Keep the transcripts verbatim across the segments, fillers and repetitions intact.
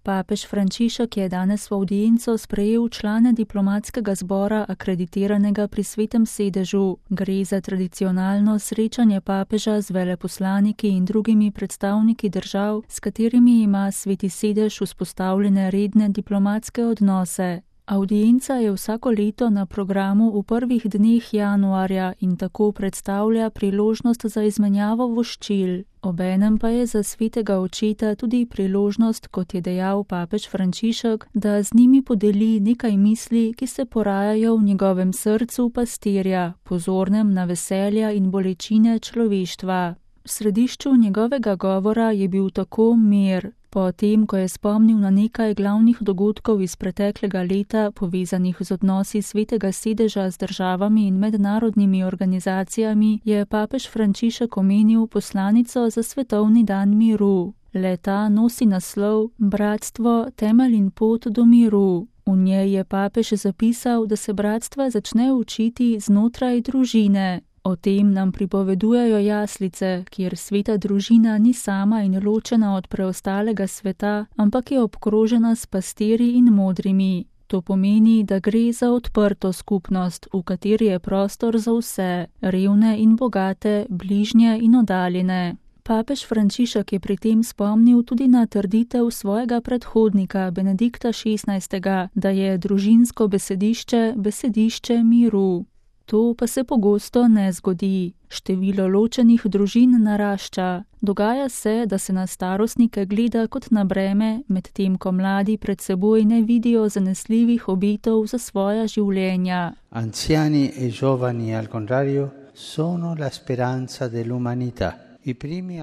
Papež Frančišek je danes v avdienco sprejel člane diplomatskega zbora akreditiranega pri Svetem sedežu. Gre za tradicionalno srečanje papeža z veleposlaniki in drugimi predstavniki držav, s katerimi ima Sveti sedež vzpostavljene redne diplomatske odnose. Avdienca je vsako leto na programu v prvih dneh januarja in tako predstavlja priložnost za izmenjavo voščil. Obenem pa je za svetega očeta tudi priložnost, kot je dejal papež Frančišek, da z njimi podeli nekaj misli, ki se porajajo v njegovem srcu pastirja, pozornem na veselja in bolečine človeštva. V središču njegovega govora je bil tako mir. Potem, ko je spomnil na nekaj glavnih dogodkov iz preteklega leta, povezanih z odnosi Svetega sedeža z državami in mednarodnimi organizacijami, je papež Frančišek omenil poslanico za svetovni dan miru. Le-ta nosi naslov Bratstvo, temelj in pot do miru. V njej je papež zapisal, da se bratstva začne učiti znotraj družine. O tem nam pripovedujejo jaslice, kjer sveta družina ni sama in ločena od preostalega sveta, ampak je obkrožena s pastirji in modrimi. To pomeni, da gre za odprto skupnost, v kateri je prostor za vse, revne in bogate, bližnje in oddaljene. Papež Frančišek je pri tem spomnil tudi na trditev svojega predhodnika Benedikta šestnajstega, da je družinsko besedišče besedišče miru. To pa se pogosto ne zgodi. Število ločenih družin narašča. Dogaja se, da se na starostnike gleda kot na breme, medtem ko mladi pred seboj ne vidijo zanesljivih obetov za svoja življenja. Anziani e giovani, al contrario, sono la speranza dell'umanità.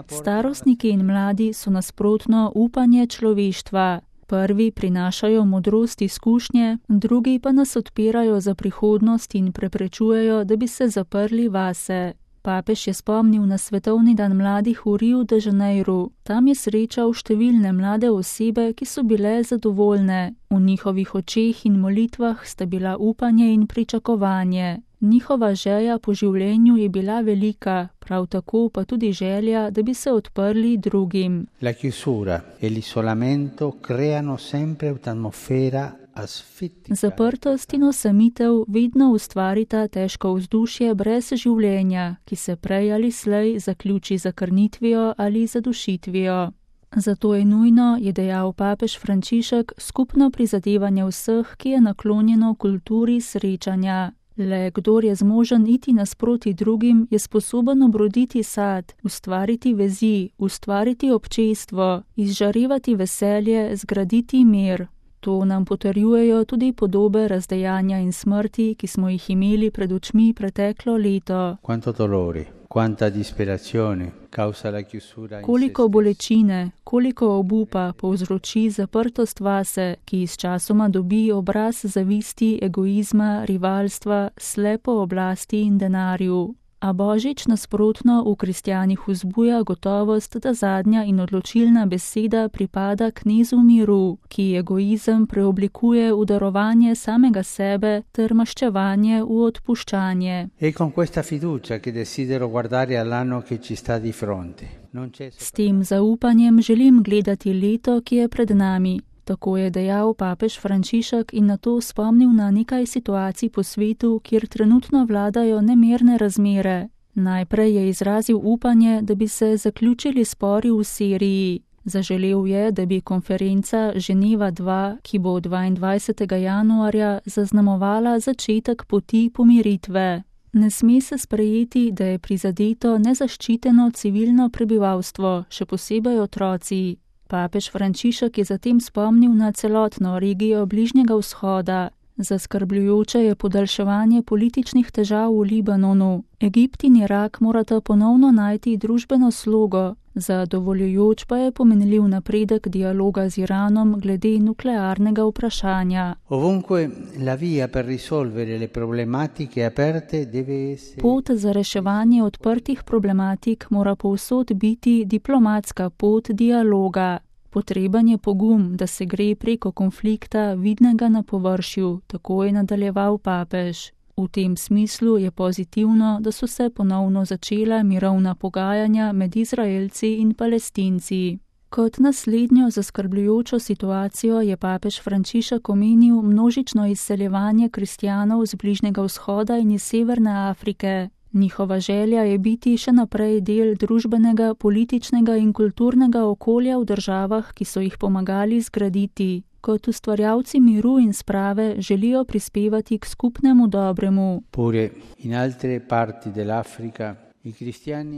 Starostniki in mladi so nasprotno upanje človeštva. Prvi prinašajo modrost izkušnje, drugi pa nas odpirajo za prihodnost in preprečujejo, da bi se zaprli vase. Papež je spomnil na svetovni dan mladih v Riu de Janeiru. Tam je srečal številne mlade osebe, ki so bile zadovoljne. V njihovih očeh in molitvah sta bila upanje in pričakovanje. Njihova želja po življenju je bila velika, prav tako pa tudi želja, da bi se odprli drugim. La chiusura e l'isolamento creano sempre un'atmosfera asfittica. Zaprtost in osamitev vedno ustvarita težko vzdušje brez življenja, ki se prej ali slej zaključi z zakrnitvijo ali zadušitvijo. Zato je nujno, je dejal papež Frančišek, skupno prizadevanje vseh, ki je naklonjeno kulturi srečanja. Le kdor je zmožen iti nasproti drugim, je sposoben obroditi sad, ustvariti vezi, ustvariti občestvo, izžarevati veselje, zgraditi mir. To nam potrjujejo tudi podobe razdejanja in smrti, ki smo jih imeli pred očmi preteklo leto. Quanto dolore, quanta disperazione causa la chiusura in se Koliko bolečine, koliko obupa povzroči zaprtost vase, ki sčasoma dobi obraz zavisti, egoizma, rivalstva, slepo oblasti in denarju. A Božič nasprotno v kristjanih vzbuja gotovost, da zadnja in odločilna beseda pripada knezu miru, ki egoizem preoblikuje v darovanje samega sebe ter maščevanje v odpuščanje. E con questa fiducia che desidero guardare all'anno che ci sta di fronte. Non c'è S tem zaupanjem želim gledati leto, ki je pred nami. Tako je dejal papež Frančišek in nato spomnil na nekaj situacij po svetu, kjer trenutno vladajo nemirne razmere. Najprej je izrazil upanje, da bi se zaključili spori v Siriji. Zaželel je, da bi konferenca Ženeva dva, ki bo dvaindvajsetega januarja zaznamovala začetek poti pomiritve. Ne sme se sprejeti, da je prizadeto nezaščiteno civilno prebivalstvo, še posebej otroci. Papež Frančišek je zatem spomnil na celotno regijo Bližnjega vzhoda. Zaskrbljujoče je podaljševanje političnih težav v Libanonu. Egipt in Irak morata ponovno najti družbeno slogo. Zadovoljujoč pa je pomenljiv napredek dialoga z Iranom glede nuklearnega vprašanja. Ovunque la via per risolvere le problematiche aperte deve essere Pot za reševanje odprtih problematik mora povsod biti diplomatska pot dialoga. Potreben je pogum, da se gre preko konflikta vidnega na površju, tako je nadaljeval papež. V tem smislu je pozitivno, da so se ponovno začela mirovna pogajanja med Izraelci in Palestinci. Kot naslednjo zaskrbljujočo situacijo je papež Frančišek omenil množično izseljevanje kristjanov z Bližnjega vzhoda in iz Severne Afrike. Njihova želja je biti še naprej del družbenega, političnega in kulturnega okolja v državah, ki so jih pomagali zgraditi. Kot ustvarjalci miru in sprave želijo prispevati k skupnemu dobremu.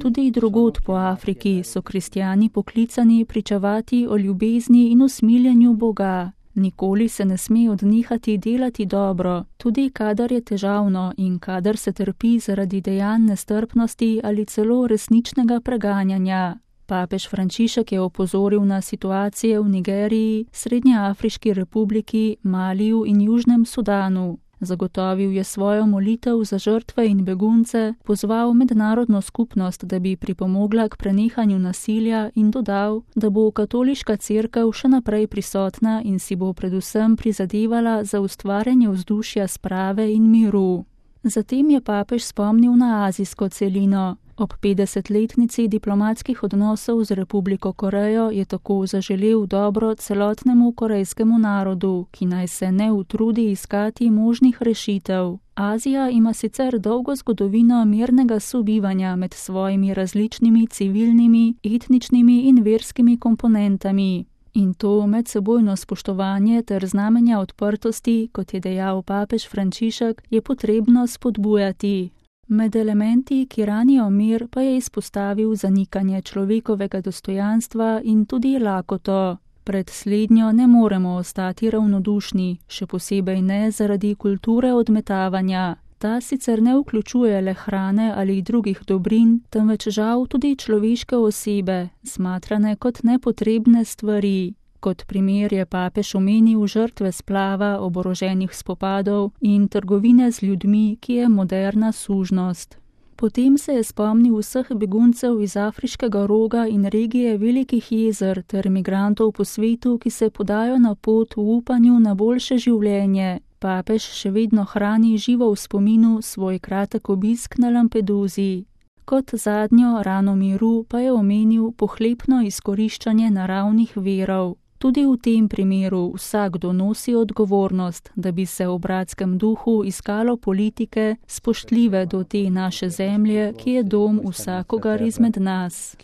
Tudi drugod po Afriki so kristjani poklicani pričevati o ljubezni in usmiljenju Boga. Nikoli se ne sme odnehati delati dobro, tudi kadar je težavno in kadar se trpi zaradi dejanj nestrpnosti ali celo resničnega preganjanja. Papež Frančišek je opozoril na situacije v Nigeriji, Srednjeafriški republiki, Maliju in Južnem Sudanu. Zagotovil je svojo molitev za žrtve in begunce, pozval mednarodno skupnost, da bi pripomogla k prenehanju nasilja in dodal, da bo katoliška cerkev še naprej prisotna in si bo predvsem prizadevala za ustvarjanje vzdušja sprave in miru. Zatem je papež spomnil na azijsko celino. Ob petdesetletnici diplomatskih odnosov z Republiko Korejo je tako zaželel dobro celotnemu korejskemu narodu, ki naj se ne utrudi iskati možnih rešitev. Azija ima sicer dolgo zgodovino mirnega sobivanja med svojimi različnimi civilnimi, etničnimi in verskimi komponentami. In to medsebojno spoštovanje ter znamenja odprtosti, kot je dejal papež Frančišek, je potrebno spodbujati. Med elementi, ki ranijo mir, pa je izpostavil zanikanje človekovega dostojanstva in tudi lakoto. Pred slednjo ne moremo ostati ravnodušni, še posebej ne zaradi kulture odmetavanja. Ta sicer ne vključuje le hrane ali drugih dobrin, temveč žal tudi človeške osebe, smatrane kot nepotrebne stvari. Kot primer je papež omenil žrtve splava, oboroženih spopadov in trgovine z ljudmi, ki je moderna sužnost. Potem se je spomnil vseh beguncev iz Afriškega roga in regije Velikih jezer ter migrantov po svetu, ki se podajo na pot v upanju na boljše življenje. Papež še vedno hrani živo v spominu svoj kratek obisk na Lampeduzi. Kot zadnjo rano miru pa je omenil pohlepno izkoriščanje naravnih virov. Tudi v tem primeru vsakdo nosi odgovornost, da bi se v bratskem duhu iskalo politike spoštljive do te naše zemlje, ki je dom vsakogar izmed nas.